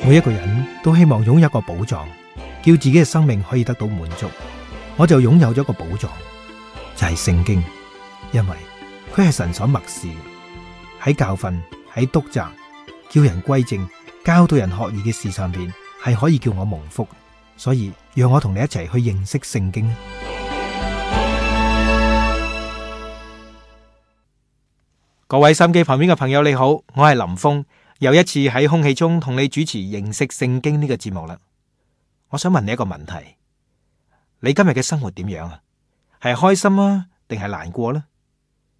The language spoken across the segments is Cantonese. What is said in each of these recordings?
每一個人都希望擁有一個寶藏，叫自己嘅生命可以得到滿足。我就擁有咗一個寶藏，就係聖經，因為佢係神所默示，喺教訓、喺督責、叫人歸正、教導人學義嘅事上邊，係可以叫我蒙福。所以讓我同你一齊去認識聖經。各位心機旁邊嘅朋友你好，我係林峰，又一次喺空氣中同你主持認識聖經呢個節目啦。我想問你一個問題，你今日嘅生活點樣啊？係開心啊，定係難過呢？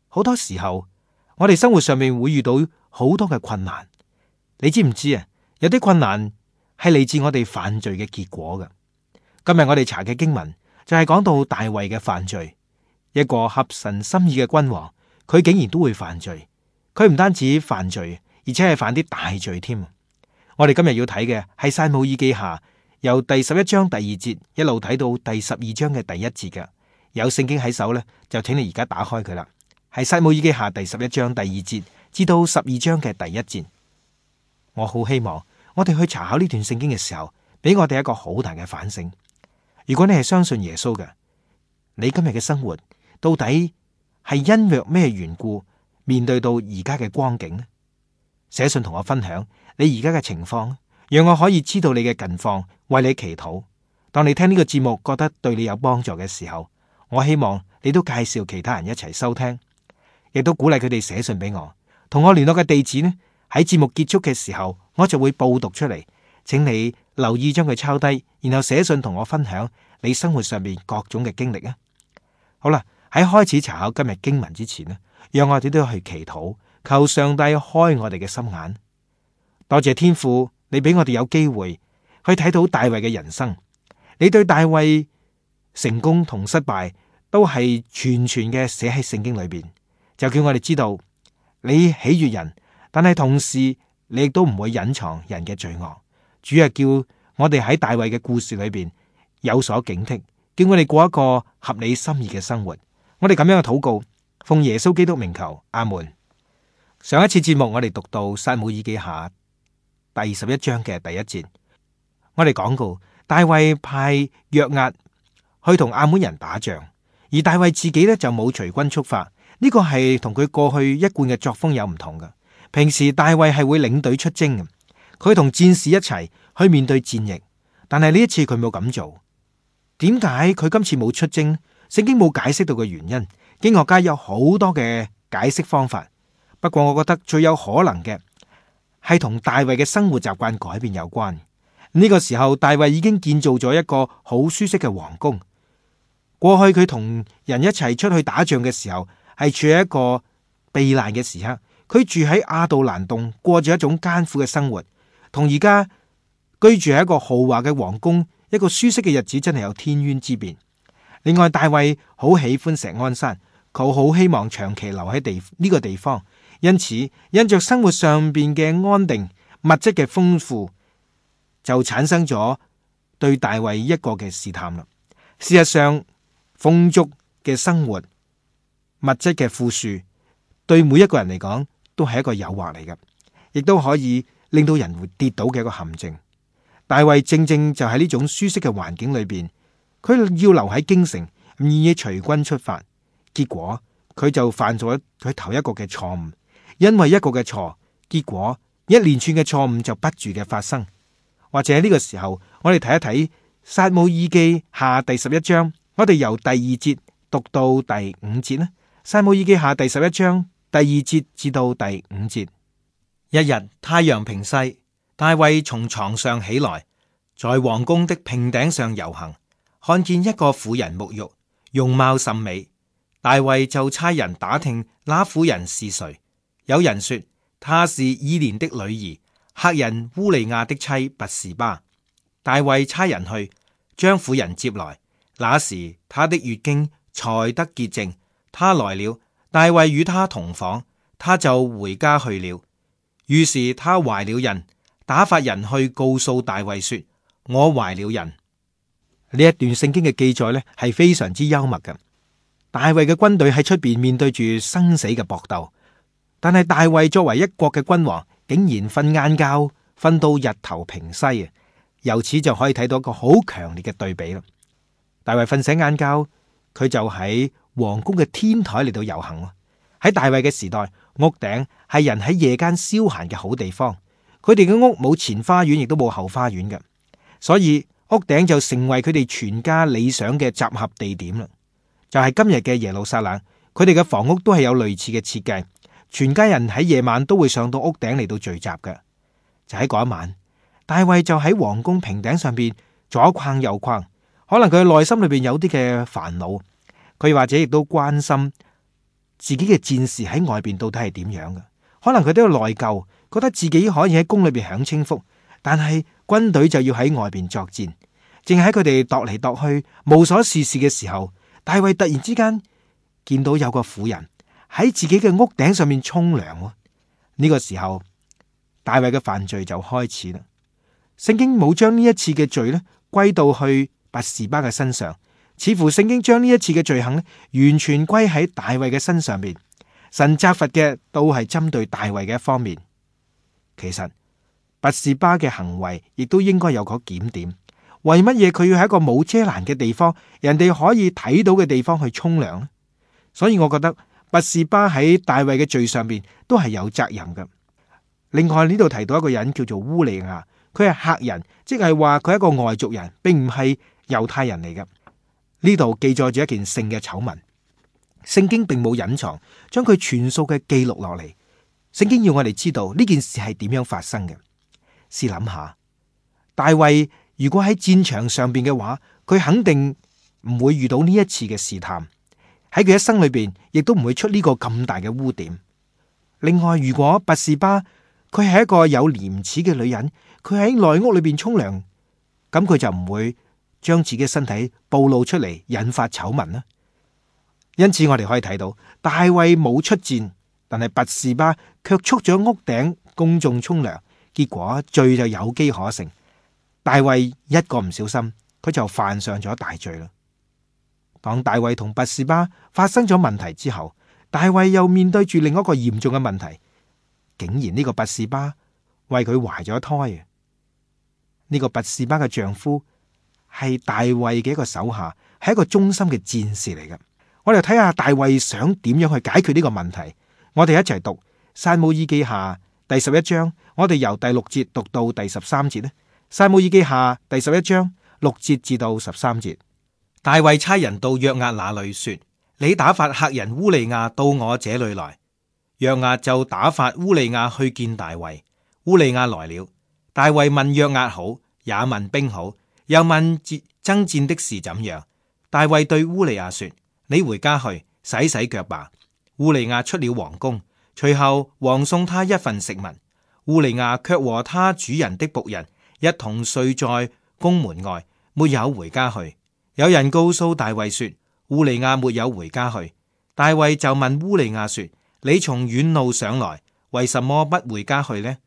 好多時候我哋生活上面會遇到好多嘅困難，你知唔知啊？有啲困難係嚟自我哋犯罪嘅結果嘅。今日我哋查嘅經文就係講到大衛嘅犯罪，一個合神心意嘅君王，佢竟然都會犯罪。佢唔單止犯罪，而且係犯啲大罪添。我哋今日要睇嘅係撒母耳記下，由第11章第2節一路睇到第12章嘅第1節嘅。有聖經喺手呢，就請你而家打開佢啦。係撒母耳記下第11章第2節至到12章嘅第1節。我好希望我哋去查考呢段聖經嘅時候，俾我哋一個好大嘅反省。如果你係相信耶穌嘅，你今日嘅生活到底係因為咩緣故面對到而家嘅光景呢？寫信同我分享你而家嘅情況，讓我可以知道你嘅近況，為你祈禱。當你聽呢個節目覺得對你有幫助嘅時候，我希望你都介紹其他人一齊收聽，亦都鼓勵佢哋寫信俾我。同我聯絡嘅地址呢，喺節目結束嘅時候我就會報讀出嚟，請你留意將佢抄低，然後寫信同我分享你生活上面各種嘅經歷啊。好啦，喺開始查考今日經文之前呢，讓我哋都去祈禱，求上帝開我哋嘅心眼。多謝天父，你俾我哋有機會去睇到大衛嘅人生。你對大衛成功同失敗都係全嘅寫喺聖經裏邊，就叫我哋知道你喜悅人，但係同時你亦都唔會隱藏人嘅罪惡。主要叫我哋喺大衛嘅故事裏邊有所警惕，叫我哋過一個合你心意嘅生活。我哋咁樣嘅禱告，奉耶穌基督名求，阿門。上一次節目我哋讀到撒母耳記下第11章嘅第1節，我哋講過大衛派約押去同亞捫人打仗，而大衛自己呢就冇隨軍出發。呢個係同佢過去一貫嘅作風有唔同嘅。平時大衛係會領隊出征嘅，佢同戰士一齊去面對戰役，但係呢一次佢冇咁做。點解佢今次冇出征？聖經冇解釋到嘅原因，經學家有好多嘅解釋方法。不過我覺得最有可能嘅係同大衛嘅生活習慣改變有關。呢個時候大衛已經建造咗一個好舒適嘅皇宮。過去佢同人一齊出去打仗嘅時候，係處喺一個避難嘅時刻。佢住喺亞杜蘭洞，過住一種艱苦嘅生活，同而家居住喺一個豪華嘅皇宮，一個舒適嘅日子真係有天淵之別。另外，大衛好喜歡錫安山，佢好希望長期留喺呢個地方，因此因着生活上邊嘅安定、物質嘅豐富，就產生咗對大衛一個嘅試探啦。事實上，豐足嘅生活、物質嘅富庶，對每一個人嚟講都係一個誘惑嚟嘅，亦都可以令到人會跌倒嘅一個陷阱。大衛正正就喺呢種舒適嘅環境裏邊，佢要留喺京城，唔願意隨軍出發，結果佢就犯咗佢頭一個嘅錯誤。因為一個嘅錯，結果一連串嘅錯誤就不住嘅發生。或者呢個時候，我哋睇一睇撒母耳記下第11章，我哋由第2節讀到第5節啦。撒母耳記下第11章第2節至到第5節。一日太陽平西，大衛從床上起來，在王宮的平頂上遊行，看見一個婦人沐浴，容貌甚美。大衛就差人打聽那婦人是誰。有人說她是以連的女兒，赫人烏利亞的妻拔示巴。大衛差人去將婦人接來，那時她的月經才得潔淨。她來了，大衛與她同房，她就回家去了。於是她懷了孕，打發人去告訴大衛說：我懷了孕。呢一段聖經嘅記載呢，係非常之幽默嘅。大衛嘅軍隊喺出邊面對住生死嘅搏鬥，但係大衛作為一國嘅君王，竟然瞓晏覺，瞓到日頭平西啊！由此就可以睇到一個好強烈嘅對比啦。大衛瞓醒晏覺，佢就喺皇宮嘅天台嚟到遊行。喺大衛嘅時代，屋頂係人喺夜間消閒嘅好地方。佢哋嘅屋冇前花園，亦都冇後花園嘅，所以屋頂就成為佢哋全家理想嘅集合地點啦。就係今日嘅耶路撒冷，佢哋嘅房屋都係有類似嘅設計，全家人喺夜晚都會上到屋頂嚟到聚集嘅。就喺嗰一晚，大衛就喺皇宮平頂上邊左逛右逛，可能佢嘅內心裏邊有啲嘅煩惱，佢或者亦都關心自己嘅戰士喺外邊到底係點樣嘅，可能佢都有內疚，覺得自己可以喺宮裏邊享清福，但係軍隊就要喺外邊作戰。正喺佢哋踱嚟踱去無所事事嘅時候，大衛突然之間見到有個婦人喺自己嘅屋頂上面沖涼。呢個時候，大衛嘅犯罪就開始啦。聖經冇將呢一次嘅罪呢歸到去拔示巴嘅身上，似乎聖經將呢一次嘅罪行呢完全歸喺大衛嘅身上邊。神責罰嘅都係針對大衛嘅一方面。其實拔示巴嘅行為亦都應該有個檢點。為乜嘢佢要喺一個冇遮攔嘅地方，人哋可以睇到嘅地方去沖涼呢？所以我覺得拔示巴喺大衛嘅罪上邊都係有責任嘅。另外呢度提到一個人叫做烏利亞，佢係客人，即係話佢係一個外族人，並唔係猶太人嚟嘅。呢度記載住一件性嘅醜聞，聖經並冇隱藏，將佢全數嘅記錄落嚟。聖經要我哋知道呢件事係點樣發生嘅。試諗下，大衛如果喺戰場上邊嘅話，佢肯定唔會遇到呢一次嘅試探，喺佢一生裏邊亦都唔會出呢個咁大嘅污點。另外，如果拔示巴佢係一個有廉恥嘅女人，佢喺內屋裏邊沖涼，咁佢就唔會將自己嘅身體暴露出嚟，引發醜聞啦。因此我哋可以睇到，大衛冇出戰，但係拔示巴卻出咗屋頂公眾沖涼，結果罪就有機可乘。大衛一個唔小心，佢就犯上咗大罪啦。當大衛同拔示巴發生咗問題之後，大衛又面對住另一個嚴重嘅問題，竟然呢個拔示巴為佢懷咗胎。呢個拔示巴嘅丈夫係大衛嘅一個手下，係一個忠心嘅戰士嚟嘅。我哋睇下大衛想點樣去解決呢個問題。我哋一齊讀撒母耳記下第11章，我哋由第6節讀到第13節咧。撒母耳記下第11章6節至到13節。大衛差人到約押那裏說：你打發客人烏利亞到我這裏來。約押就打發烏利亞去見大衛。烏利亞來了，大衛問約押好，也問兵好，又問爭戰的事怎樣。大衛對烏利亞說：你回家去洗洗腳吧。烏利亞出了王宮，隨後王送他一份食物。烏利亞卻和他主人的僕人一同睡在宮門外，沒有回家去。有人告訴大衛說，烏利亞沒有回家去。大衛就問烏利亞說：你從遠路上來，為什麼不回家去呢？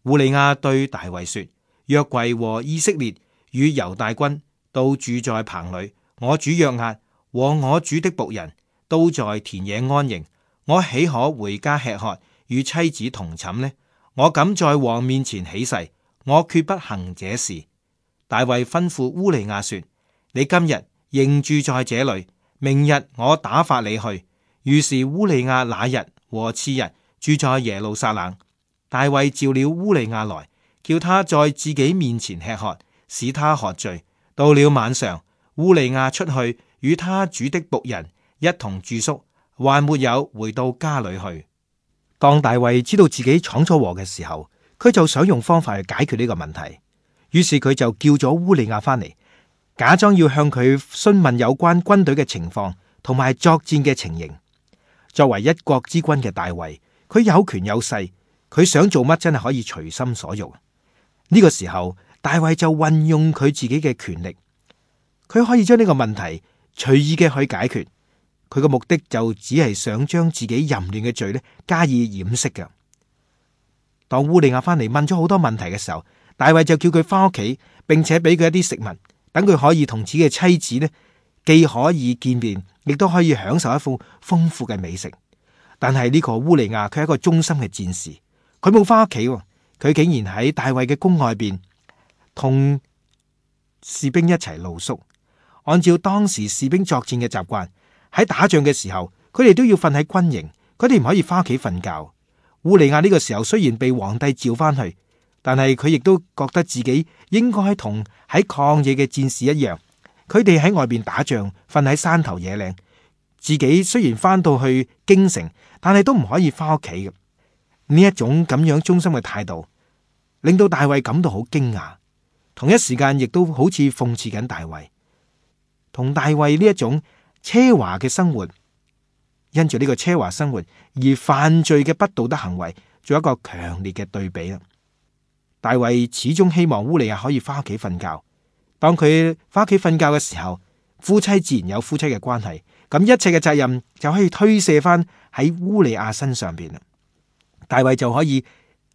烏利亞對大衛說：約櫃和以色列與猶大軍都住在棚裏，我主約押和我主的僕人都在田野安營，我豈可回家吃喝，與妻子同寢呢？我敢在王面前起誓，我決不行這事。大衛吩咐烏利亞說：你今日仍住在這裏，明日我打發你去。於是烏利亞那日和次日住在耶路撒冷。大衛召了烏利亞來，叫他在自己面前吃喝，使他喝醉。到了晚上，烏利亞出去與他主的僕人一同住宿，還沒有回到家裏去。當大衛知道自己闖咗禍嘅時候，佢就想用方法去解決呢個問題。於是佢就叫咗烏利亞翻嚟，假裝要向佢詢問有關軍隊嘅情況同埋作戰嘅情形。作為一國之君嘅大衛，佢有權有勢，佢想做乜真係可以隨心所欲。呢個時候，大衛就運用佢自己嘅權力，佢可以將呢個問題隨意嘅去解決。佢嘅目的就只係想將自己淫亂嘅罪咧加以掩飾嘅。當烏利亞翻嚟問咗好多問題嘅時候，大衛就叫佢翻屋企，並且俾佢一啲食物，等佢可以同自己嘅妻子咧既可以見面，亦都可以享受一副豐富嘅美食。但係呢個烏利亞佢係一個忠心嘅戰士，佢冇翻屋企，佢竟然喺大衛嘅宮外邊同士兵一齊露宿。按照當時士兵作戰嘅習慣，喺打仗嘅時候，佢哋都要瞓喺軍營，佢哋唔可以翻屋企瞓覺。烏利亞呢個時候雖然被皇帝召翻去，但係佢亦都覺得自己應該同喺曠野嘅戰士一樣，佢哋喺外邊打仗，瞓喺山頭野嶺。自己雖然翻到去京城，但係都唔可以翻屋企嘅。呢一種咁樣忠心嘅態度，令到大衛感到好驚訝，同一時間亦都好似諷刺緊大衛。同大衛呢一種奢華嘅生活，因住呢個奢華生活而犯罪嘅不道德行為，做一個強烈嘅對比啦。大衛始終希望烏利亞可以翻屋企瞓覺。當佢翻屋企瞓覺嘅時候，夫妻自然有夫妻嘅關係，咁一切嘅責任就可以推卸翻喺烏利亞身上邊啦。大衛就可以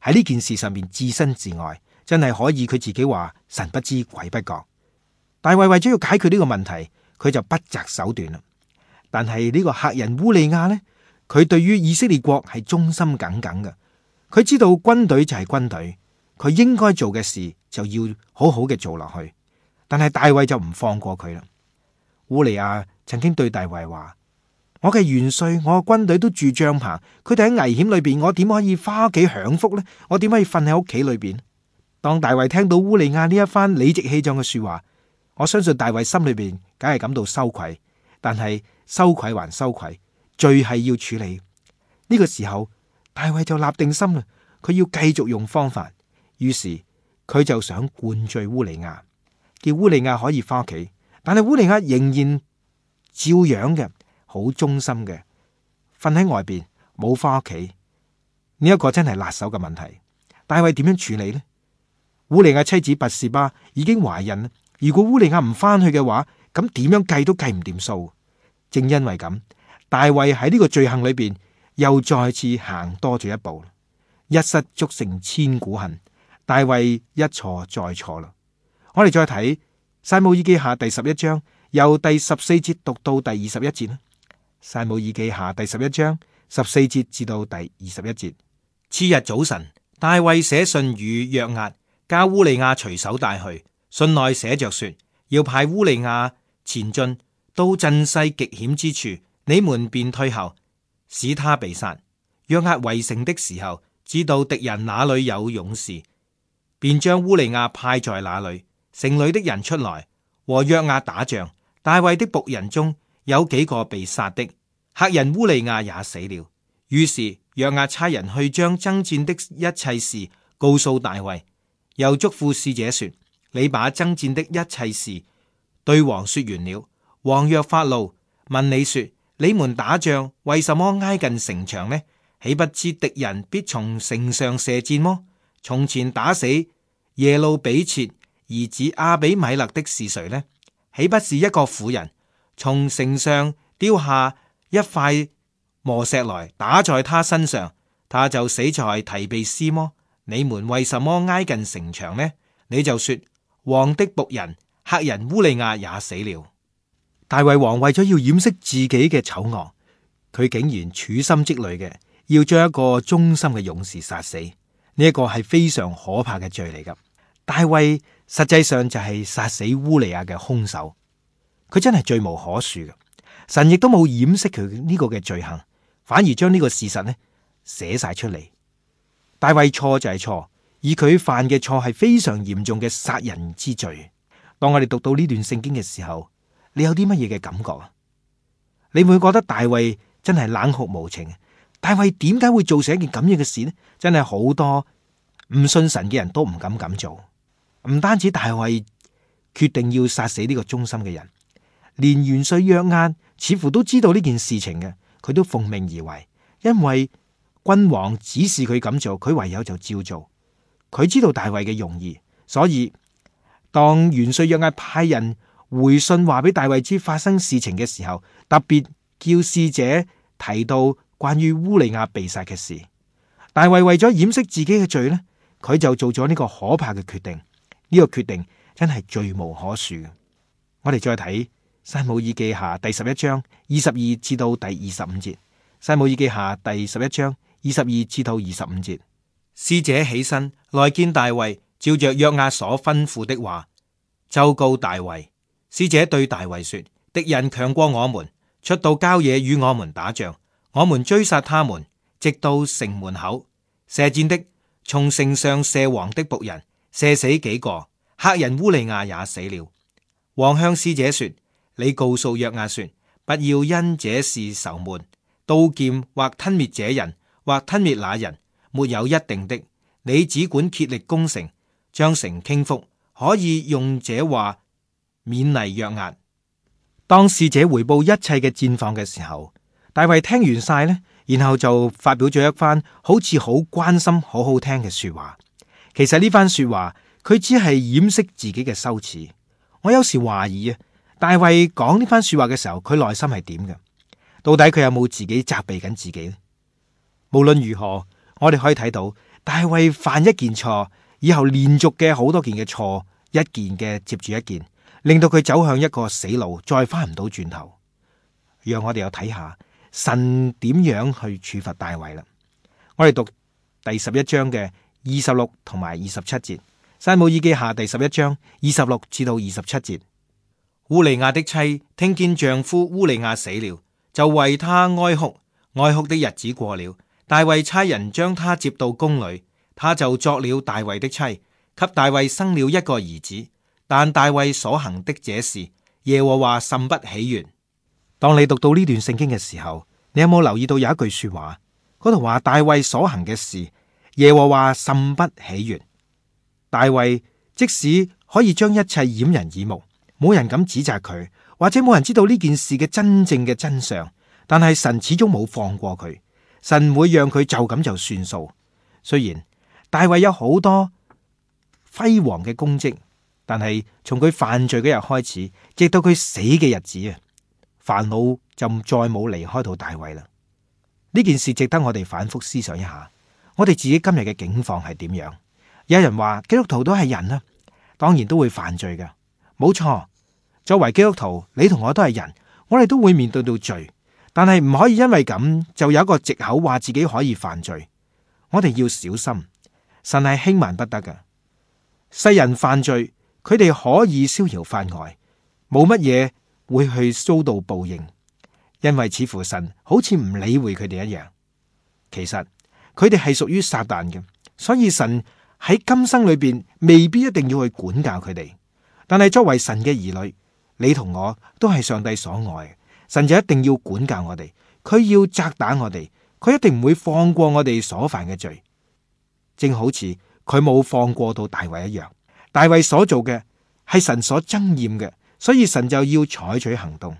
喺呢件事上面置身事外，真係可以佢自己話神不知鬼不覺。大衛為咗要解決呢個問題，佢就不擇手段啦。但係呢個赫人烏利亞呢，佢對於以色列國係忠心耿耿嘅。佢知道軍隊就係軍隊，佢應該做嘅事就要好好嘅做落去。但係大衛就唔放過佢啦。烏利亞曾經對大衛話：我嘅元帥，我嘅軍隊都住帳篷，佢哋喺危險裏邊，我點可以翻屋企享福呢？我點可以瞓喺屋企裏邊？當大衛聽到烏利亞呢一番理直氣壯嘅說話，我相信大衛心裏邊梗係感到羞愧，但係羞愧還羞愧，罪係要處理。呢個時候，大衛就立定心啦，佢要繼續用方法。於是佢就想灌醉烏利亞，叫烏利亞可以翻屋企。但係烏利亞仍然照樣嘅好忠心嘅瞓喺外邊，冇翻屋企。呢一個真係辣手嘅問題。大衛點樣處理呢？烏利亞妻子拔示巴已經懷孕啦。如果烏利亞唔翻去嘅話，咁點樣計都計唔掂數。正因為咁，大衛喺呢個罪行裏邊又再次行多咗一步。一失足成千古恨，大衛一錯再錯啦。我哋再睇撒母耳記下第11章，由第14節讀到第21節啦。撒母耳記下第11章14節至到第21節。次日早晨，大衛寫信與約押，叫烏利亞隨手帶去。信內寫着說，要派烏利亞前進到陣勢極險之處，你們便退後，使他被殺。約押圍城的時候，知道敵人那裏有勇士，便將烏利亞派在那裏。城裏的人出來和約押打仗，大衛的僕人中有幾個被殺的，赫人烏利亞也死了。於是約押差人去將爭戰的一切事告訴大衛，又囑咐使者說，你把爭戰的一切事對王說完了。王若發怒，問你說，你們打仗為什麼挨近城牆呢？豈不知敵人必從城上射箭麼？從前打死耶路比切兒子亞比米勒的是誰呢？豈不是一個婦人從城上丟下一塊磨石來打在他身上，他就死在提比斯麼？你們為什麼挨近城牆呢？你就說，王的僕人赫人烏利亞也死了。大衛王為咗要掩飾自己嘅醜惡，佢竟然處心積慮嘅要將一個忠心嘅勇士殺死。呢一個係非常可怕嘅罪嚟噶。大衛實際上就係殺死烏利亞嘅兇手，佢真係罪無可恕嘅。神亦都冇掩飾佢呢個嘅罪行，反而將呢個事實呢寫晒出嚟。大衛錯就係錯，而佢犯嘅錯係非常嚴重嘅殺人之罪。當我哋讀到呢段聖經嘅時候，你有啲乜嘢嘅感覺啊？你會覺得大衛真係冷酷無情？大衛點解會做成一件咁樣嘅事呢？真係好多唔信神嘅人都唔敢咁做。唔單止大衛決定要殺死呢個忠心嘅人，連元帥約押似乎都知道呢件事情嘅，佢都奉命而為，因為君王指示佢咁做，佢唯有就照做。佢知道大衛嘅用意，所以當元帥約押派人回信話俾大衛知發生事情嘅時候，特別叫使者提到關於烏利亞被殺嘅事。大衛為咗掩飾自己嘅罪呢，佢就做咗呢個可怕嘅決定。呢個決定真係罪無可恕嘅。我哋再睇撒母耳記下第11章22至到第25節。撒母耳記下第11章22至到25節。使者起身來見大衛，照着約押所吩咐的話，奏告大衛。使者對大衛說：敵人強過我們，出到郊野與我們打仗，我們追殺他們，直到城門口。射箭的從城上射王的僕人，射死幾個，赫人烏利亞也死了。王向使者說：你告訴約押說，不要因這事愁悶，刀劍或吞滅這人，或吞滅那人，沒有一定的。你只管竭力攻城，將城傾覆，可以用這話勉勵約押。當使者回報一切嘅戰況嘅時候，大衛聽完晒呢，然後就發表咗一番好似好關心、好好聽嘅說話。其實呢番說話，佢只係掩飾自己嘅羞恥。我有時懷疑啊，大衛講呢番說話嘅時候，佢內心係點嘅？到底佢有冇自己責備緊自己呢？無論如何，我哋可以睇到大衛犯一件錯，以後連續嘅好多件嘅錯，一件嘅接住一件，令到佢走向一個死路，再翻唔到轉頭。讓我哋又睇下神點樣去處罰大衛啦。我哋讀第11章嘅26同埋27節，撒母耳記下第11章26至到27節。烏利亞的妻聽見丈夫烏利亞死了，就為他哀哭，哀哭的日子過了，大衛差人將他接到宮裏，他就作了大衛的妻，給大衛生了一個兒子。但大衛所行的這事，耶和華甚不喜悅。當你讀到呢段聖經嘅時候，你有冇留意到有一句說話？嗰度話大衛所行嘅事，耶和華甚不喜悅。大衛即使可以將一切掩人耳目，冇人敢指責佢，或者冇人知道呢件事嘅真正嘅真相，但係神始終冇放過佢，神唔會讓佢就咁就算數。雖然大衛有好多輝煌嘅功績，但係從佢犯罪嗰日開始，直到佢死嘅日子啊，煩惱就再冇離開到大衛啦。呢件事值得我哋反覆思想一下，我哋自己今日嘅境況係點樣？有人話基督徒都係人啊，當然都會犯罪㗎，冇錯。作為基督徒，你同我都係人，我哋都會面對到罪，但係唔可以因為咁就有一個藉口話自己可以犯罪。我哋要小心，神係輕慢不得㗎。世人犯罪，佢哋可以逍遙法外，冇乜嘢會去遭到報應，因為似乎神好似唔理會佢哋一樣。其實佢哋係屬於撒旦嘅，所以神喺今生裏邊未必一定要去管教佢哋。但係作為神嘅兒女，你同我都係上帝所愛，神就一定要管教我哋，佢要責打我哋，佢一定唔會放過我哋所犯嘅罪，正好似佢冇放過到大衛一樣。大衛所做嘅係神所憎厭嘅，所以神就要採取行動。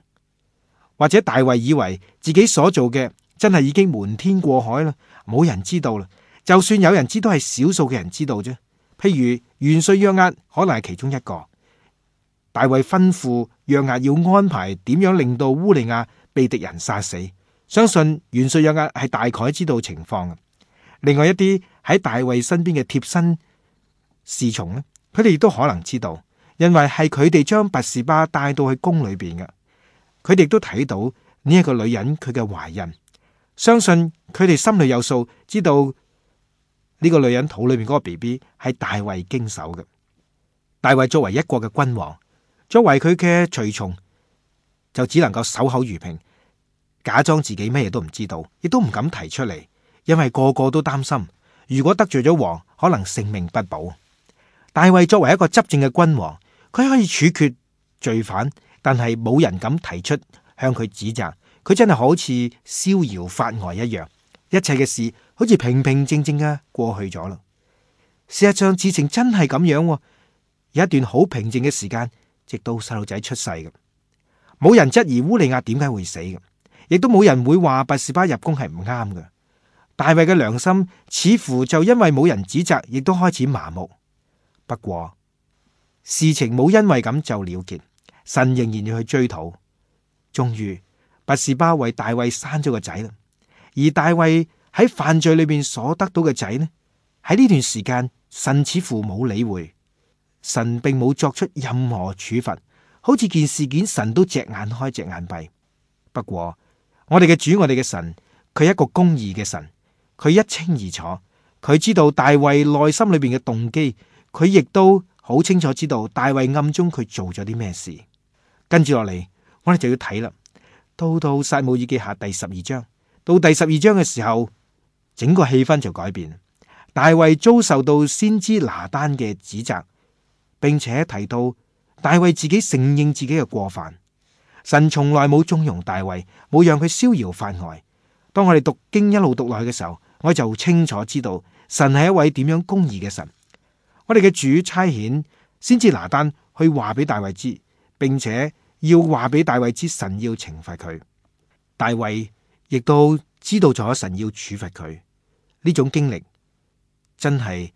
或者大衛以為自己所做嘅真係已經瞞天過海啦，冇人知道啦。就算有人知，都係少數嘅人知道啫。譬如元帥約押可能係其中一個。大衛吩咐約押要安排點樣令到烏利亞被敵人殺死，相信元帥約押係大概知道情況嘅。另外一啲喺大衛身邊嘅貼身侍從呢，佢哋亦都可能知道，因為係佢哋將拔示巴帶到去宮裏邊嘅，佢哋都睇到呢一個女人佢嘅懷孕，相信佢哋心裏有數，知道呢個女人肚裏邊嗰個 BB 係大衛經手嘅。大衛作為一國嘅君王，作為佢嘅隨從，就只能夠守口如瓶，假裝自己咩嘢都唔知道，亦都唔敢提出嚟，因為個個都擔心，如果得罪咗王，可能性命不保。大衛作為一個執政嘅君王，佢可以處決罪犯，但係冇人敢提出向佢指責，佢真係好似逍遙法外一樣，一切嘅事好似平平靜靜嘅過去咗啦。事實上事情真係咁樣，有一段好平靜嘅時間，直到細路仔出世嘅，冇人質疑烏利亞點解會死嘅，亦都冇人會話拔示巴入宮係唔啱嘅。大衛嘅良心似乎就因為冇人指責，亦都開始麻木。不過事情冇因為咁就了結，神仍然要去追討。終於拔示巴為大衛生咗個仔啦，而大衛喺犯罪裏邊所得到嘅仔呢，喺呢段時間神似乎冇理會，神並冇作出任何處罰，好似件事件神都隻眼開隻眼閉。不過我哋嘅主，我哋嘅神，佢係一個公義嘅神，佢一清二楚，佢知道大衛內心裏邊嘅動機，佢亦都好清楚知道大衛暗中佢做咗啲咩事。跟住落嚟，我哋就要睇啦。到撒母耳記下第12章，到第12章嘅時候，整個氣氛就改變。大衛遭受到先知拿單嘅指責，並且提到大衛自己承認自己嘅過犯。神從來冇縱容大衛，冇讓佢逍遙法外。當我哋讀經一路讀落去嘅時候，我就清楚知道神係一位點樣公義嘅神。我哋嘅主差遣先知拿單去話俾大衛知，並且要話俾大衛知神要懲罰佢。大衛亦都知道咗神要處罰佢。呢種經歷真係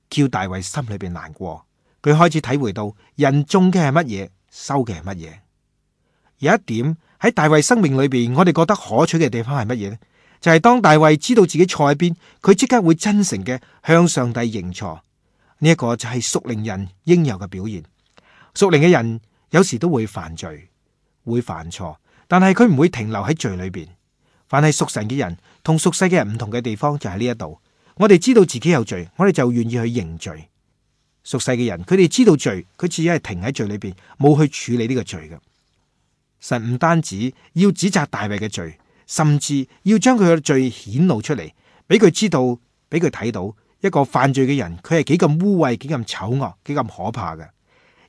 叫大衛心裏邊難過。佢開始體會到人種嘅係乜嘢，收嘅係乜嘢。有一點喺大衛生命裏邊，我哋覺得可取嘅地方係乜嘢呢？就係當大衛知道自己錯喺邊，佢即刻會真誠嘅向上帝認錯。呢一個就係屬靈人應有嘅表現。屬靈嘅人有時都會犯罪，會犯錯，但係佢唔會停留喺罪裏邊。凡係屬神嘅人同屬世嘅人唔同嘅地方就喺呢一度。我哋知道自己有罪，我哋就願意去認罪。屬世嘅人，佢哋知道罪，佢只係停喺罪裏邊，冇去處理呢個罪嘅。神唔單止要指責大衛嘅罪，甚至要將佢嘅罪顯露出嚟，俾佢知道，俾佢睇到一個犯罪嘅人，佢係幾咁污穢、幾咁醜惡、幾咁可怕嘅。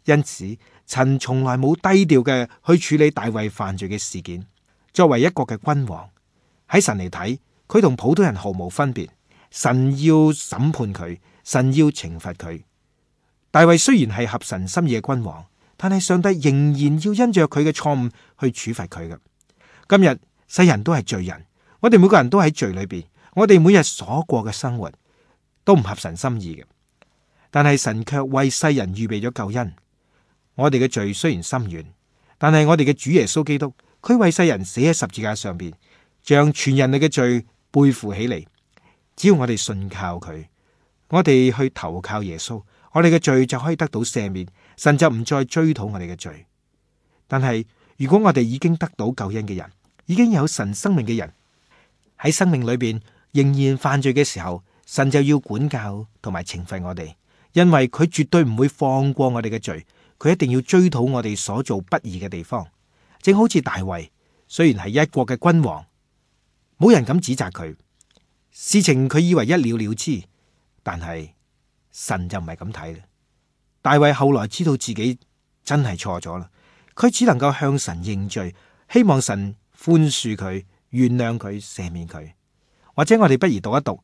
因此，神從來冇低調嘅去處理大衛犯罪嘅事件。作為一國嘅君王，喺神嚟睇，佢同普通人毫無分別。神要審判佢，神要懲罰佢。大衛雖然係合神心意嘅君王，但係上帝仍然要因着佢嘅錯誤去處罰佢嘅。今日世人都係罪人，我哋每個人都喺罪裏邊，我哋每日所過嘅生活都唔合神心意嘅。但係神卻為世人預備咗救恩。我哋嘅罪雖然深遠，但係我哋嘅主耶穌基督，佢為世人死喺十字架上邊，將全人類嘅罪背負起嚟。只要我哋信靠佢，我哋去投靠耶穌，我哋嘅罪就可以得到赦免，神就唔再追討我哋嘅罪。但係如果我哋已經得到救恩嘅人，已經有神生命嘅人，喺生命裏邊仍然犯罪嘅時候，神就要管教同埋懲罰我哋，因為佢絕對唔會放過我哋嘅罪，佢一定要追討我哋所做不義嘅地方。正好似大衛，雖然係一國嘅君王，冇人敢指責佢。事情佢以為一了了之，但係神就唔係咁睇啦。大衛後來知道自己真係錯咗啦，佢只能夠向神認罪，希望神寬恕佢、原諒佢、赦免佢。或者我哋不如讀一讀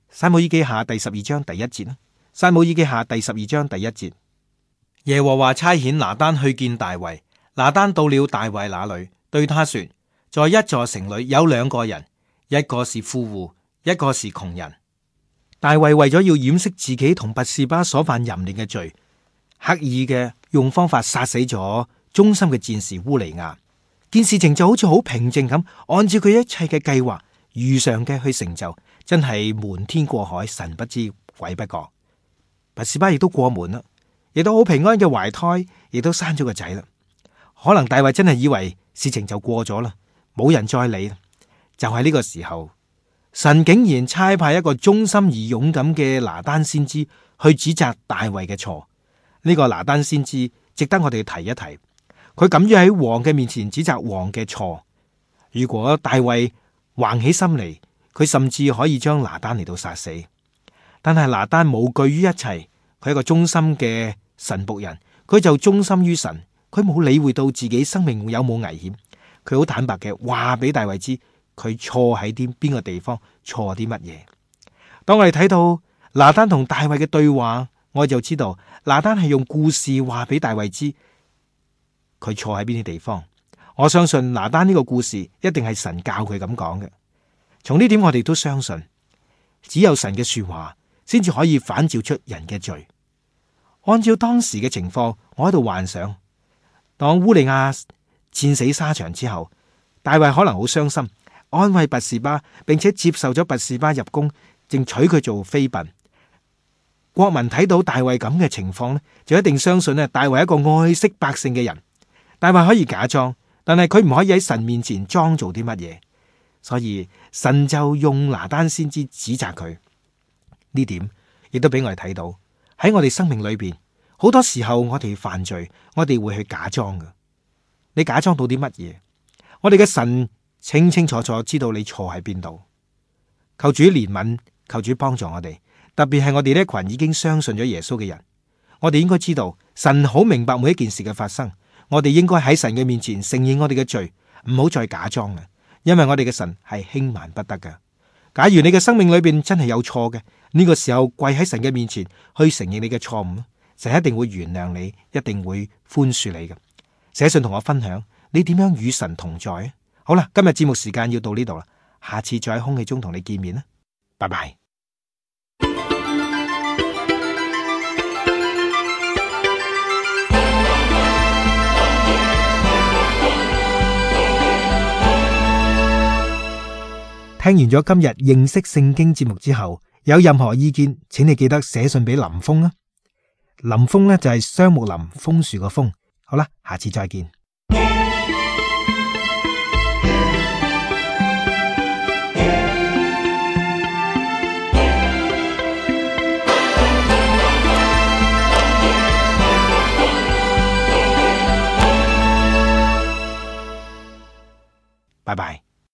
撒母耳記下第12章第1節啦。撒母耳記下第12章第1節，耶和華差遣拿單去見大衛。拿單到了大衛那裏，對他說：在一座城裏有2個人，一個是富戶，一個是窮人。大衛為咗要掩飾自己同拔示巴所犯淫亂嘅罪，刻意嘅用方法殺死咗忠心嘅戰士烏利亞。件事情就好似好平靜咁，按照佢一切嘅計劃如常嘅去成就，真係瞞天過海，神不知鬼不覺。拔示巴亦都過門啦，亦都好平安嘅懷胎，亦都生咗個仔啦。可能大衛真係以為事情就過咗啦，冇人再理啦。就喺呢個時候，神竟然差派一個忠心而勇敢嘅拿單先知去指責大衛嘅錯。呢個拿單先知值得我哋提一提，佢敢於喺王嘅面前指責王嘅錯。如果大衛橫起心嚟，佢甚至可以將拿單嚟到殺死。但係拿單無懼於一切，佢係一個忠心嘅神僕人，佢就忠心於神，佢冇理會到自己生命有冇危險，佢好坦白嘅話俾大衛知。佢錯喺邊個地方，錯啲乜嘢？當我哋睇到拿單同大衛嘅對話，我就知道拿單係用故事話俾大衛知佢錯喺邊啲地方。我相信拿單呢個故事一定係神教佢咁講嘅。從呢點我哋都相信，只有神嘅說話先至可以反照出人嘅罪。按照當時嘅情況，我喺度幻想，當烏利亞戰死沙場之後，大衛可能好傷心，安慰拔示巴，並且接受咗拔示巴入宮，正娶佢做妃嬪。國民睇到大衛咁嘅情況呢，就一定相信大衛係一個愛惜百姓嘅人。大衛可以假裝，但係佢唔可以喺神面前裝做啲乜嘢，所以神就用拿單先知指責佢。呢點亦都俾我哋睇到喺我哋生命裏邊，好多時候我哋犯罪，我哋會去假裝㗎。你假裝到啲乜嘢？我哋嘅神清清楚楚知道你錯喺邊度。求主憐憫，求主幫助我哋，特別係我哋呢一群已經相信咗耶穌嘅人，我哋應該知道神好明白每一件事嘅發生。我哋應該喺神嘅面前承認我哋嘅罪，唔好再假裝啦，因為我哋嘅神係輕慢不得噶。假如你嘅生命裏邊真係有錯嘅，呢個時候跪喺神嘅面前去承認你嘅錯誤，神一定會原諒你，一定會寬恕你嘅。寫信同我分享你點樣與神同在。好啦，今日節目時間要到呢度啦，下次再喺空氣中同你見面啦，拜拜。聽完咗今日認識聖經節目之後，有任何意見，請你記得寫信俾林峰啊。林峰呢就係雙木林楓樹個楓。好啦，下次再見。拜拜。